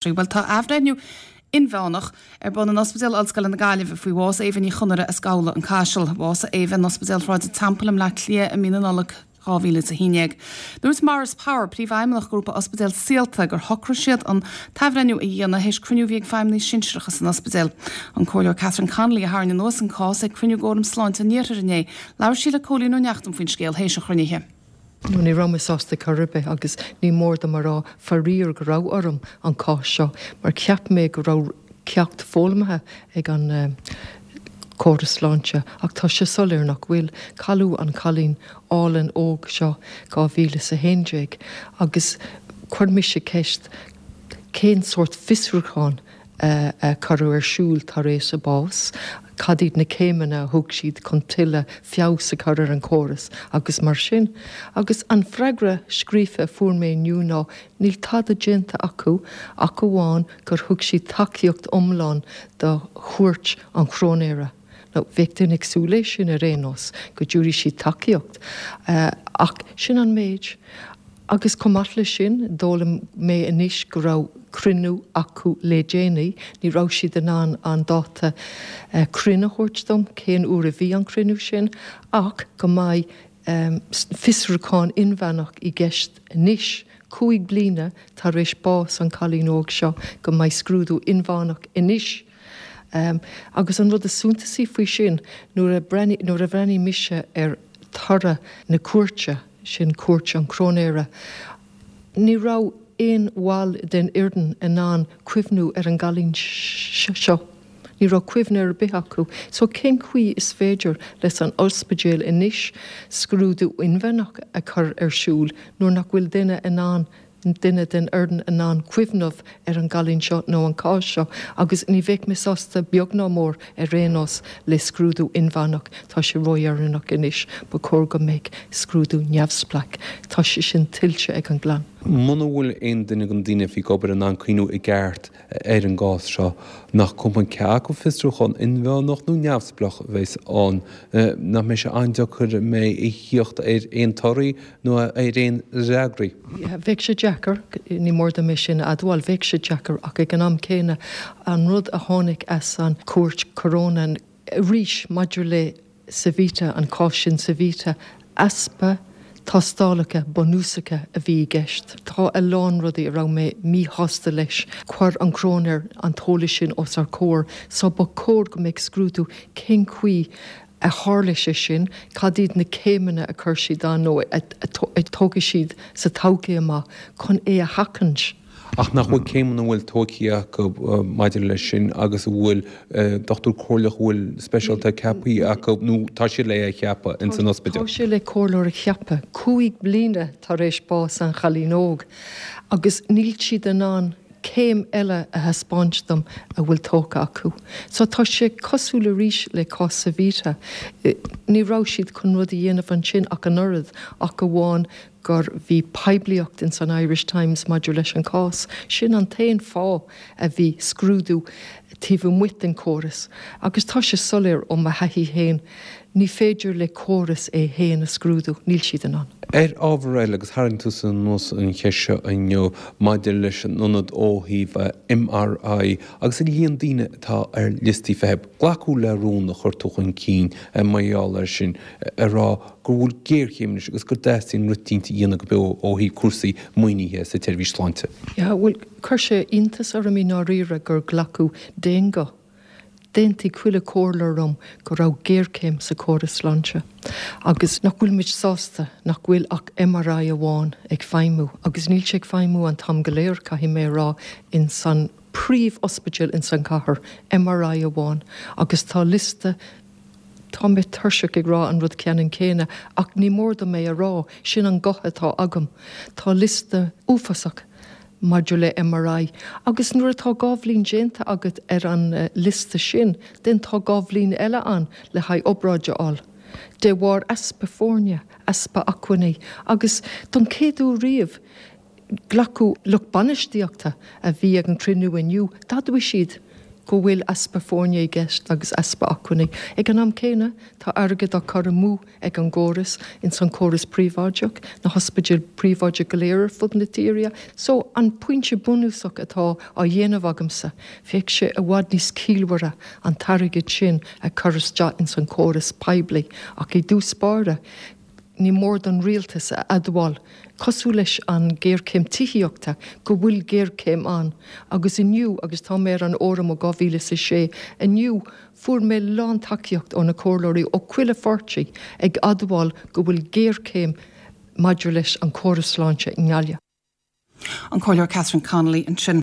Bhuel, tá athbhreithniú inmheánach ar bun in Ospidéal Ollscoile na Gaillimhe faoi bhás Éabha Ní Chonaire as Gabhla, An Caiseal. Bhásaigh Éabha in Ospidéal Shráid an Teampaill i mBleá Cliath i mí na Nollag 2011. Dúirt Maurice Power, Príomhfheidhmeannach Ghrúpa Ospidéal Saolta, gur shocraigh siad an t-athbhreithniú a dhéanamh théis cruinniú a bhí ag feidhmeannaigh sinsearacha san ospidéal. An Comhairleoir Catherine Connolly a tharraing anuas an cás ag cruinniú d'Fhóram Sláinte an Iarthair inné. Labhair sí le Cóilín Ó Neachtain faoin scéal théis an chruinnithe. Ní raibh mé sásta chor ar bith agus ní mór dom a rá, faraor, go raibh orm an cás seo mar cheap mé go raibh ceacht foghlamtha ag an córas sláinte ach tá sé soiléir nach bhfuil. Cailleadh an cailín álainn óg seo 2011 agus chuir mise ceist cén sórt fiosrúchán a cuireadh ar siúl tar éis a bás, cad iad na céimeanna a thug siad chun tuilleadh feabhas a chur ar an chóras agus mar sin. Agus an freagra scríofa a fuair mé inniu ná níl tada déanta acu ach amháin gur thug siad tacaíocht iomlán do chuairt an chróinéara. Now, bheadh duine ag súil leis sin ar aon nós, go dtabharfaidh siad tacaíocht. Ach sin an méid. Agus chomh maith leis sin, d'fhoghlaim mé anois go raibh cruinniú acu le déanaí. Ní raibh siad in ann an dáta cruinn a thabhairt dom, cén uair a bhí an cruinniú sin, ach go mbeidh fiosrúchán inmheánach i gceist anois, 5 bliana tar éis bás an chailín óg seo, go mbeidh scrúdú inmheánach anois. Agus an rud is suntasaí faoi sin, nuair a nuair a bhreathnaigh mise ar toradh na cúirte, sin cuairt an chróinéara, ní raibh aon bhall den fhoireann in ann cuimhniú ar an gcailín seo. Ní raibh cuimhne ar bith acu. So cén chaoi is féidir leis an ospidéal anois scrúdú inmheánach a chur ar siúl nuair nach bhfuil duine in ann duine den fhoireann in ann cuimhneamh ar an gcailín seo nó an cás seo agus ní bheadh mé sásta beag ná mór ar aon nós le scrúdú inmheánach, tá sé ródheireanach anois, ba chóir go mbeadh scrúdú neamhspleách, tá sé sin tuillte ag an gclann. Muna bhfuil aon duine de na daoine a bhí ag obair in ann cuimhniú i gceart ar an gcás seo, nach cuma cé acu fiosrúchán inmheánach nó neamhspleách a bheas ann, nach mbeidh sé an-deacair a mbeidh a thíocht ar aon torthaí nó ar aon fhreagraí. Bheadh sé deacair, ní mór dom é sin a admháil, bheadh sé deacair ach ag an am céanna, an rud a tháinig as an chúirt choróin arís maidir le Savita, an cás sin Savita, easpa tástálacha bunúsacha a bhí i gceist. Tá a lán rudaí a raibh mé míshásta leis. Chuir an cróinéir an t-eolas sin os ár comhair so ba chóir go mbeadh scrúdú cén chaoi a tharla sé sin, cad iad na céimeanna a chuir siad ann nó a tógfaidh siad sa todhchaí amach chun é a sheachaint. Ach nach bhfuil céimeanna a bhfuil tógtha acu maidir leis sin agus a bhfuil dochtúir comhairleach a bhfuil speisialta ceaptha acu nó tá siad le é a cheapadh ins an ospidéal? Tá sé le comhairleoir a cheapadh 5 bliana tar éis bás an chailín óg agus níl siad in ann céim eile a thaispeáint dom a bhfuil tógtha acu. So tá sé cosúil arís le cás Savita. Ní raibh siad chun rud a dhéanamh ansin ach an oiread, ach amháin gur bhí poiblíocht ins an Irish Times maidir leis an cás. Sin an t-aon fáth a bhí scrúdú taobh amuigh den chóras. Agus tá sé soiléir ó mo thaithí féin, ní féidir le córas é féin a scrúdú, níl siad in ann. Ar ábhar eile, agus tharraing tusa anuas an cheist seo inniu maidir leis an ionad ó thaobh MRI agus an líon daoine atá ar liostaí feithimh, glacadh le rún a chuir tú chun cinn mar gheall air sin, ag rá go bhfuil géarchéim anois agus go dteastaíonn rud eicínt a dhéanamh go beo ó thaobh cúrsaí maoinithe sa tseirbhís sláinte. Yeah, bhuel, chuir sé iontas orm i ndáiríre gur glacadh d'aon ghuth. D'aontaigh chuile chomhairleoir liom go raibh géarchéim sa chóras sláinte agus nach bhfuil muid sásta nach bhfuil ach MRI amháin ag feidhmiú agus níl sé ag feidhmiú an t-am go léir, caithfidh mé a rá, ins an príomh-ospidéal ins an chathair, MRI amháin agus tá liosta Tá mé tuirseach ag rá an rud ceannann céanna ach ní mór dom é a rá, sin an guth atá agam. Tá liosta uafásach maidir le MRI agus nuair atá 2 bhliain déanta agat ar an liosta sin then tá 2 bhliain eile ann le haghaidh obráid a fháil. De bharr easpa foirne, easpa acmhainní agus don chéad uair riamh, Glacadh lucht bainistíochta a bhí ag an cruinniú inniu, d'admhaigh siad. go bhfuil easpa foirne i gceist agus easpa acmhainní. Ag an am céanna, tá airgead á cur amú ag an gcóras, ins an córas príobháideach, na hospidéil príobháideach go léir ar fud na tíre. So, an pointe bunúsach atá á dhéanamh agamsa, bheadh sé i bhfad níos ciallmhaire an t-airgead sin a chur isteach ins an chóras poiblí ach i dtús báire, ní mór don rialtas a admháil, cosúil leis an ghéarchéim tithíochta, go bhfuil géarchéim ann. Agus inniu, agus tá mé ar an fhóram ó 2006, inniu fuair mé lántacaíocht ó na comhairleoirí ó chuile pháirtí ag admháil go bhfuil géarchéim maidir leis an chóras sláinte i nGaillimh. An Comhairleoir Catherine Connolly ansin.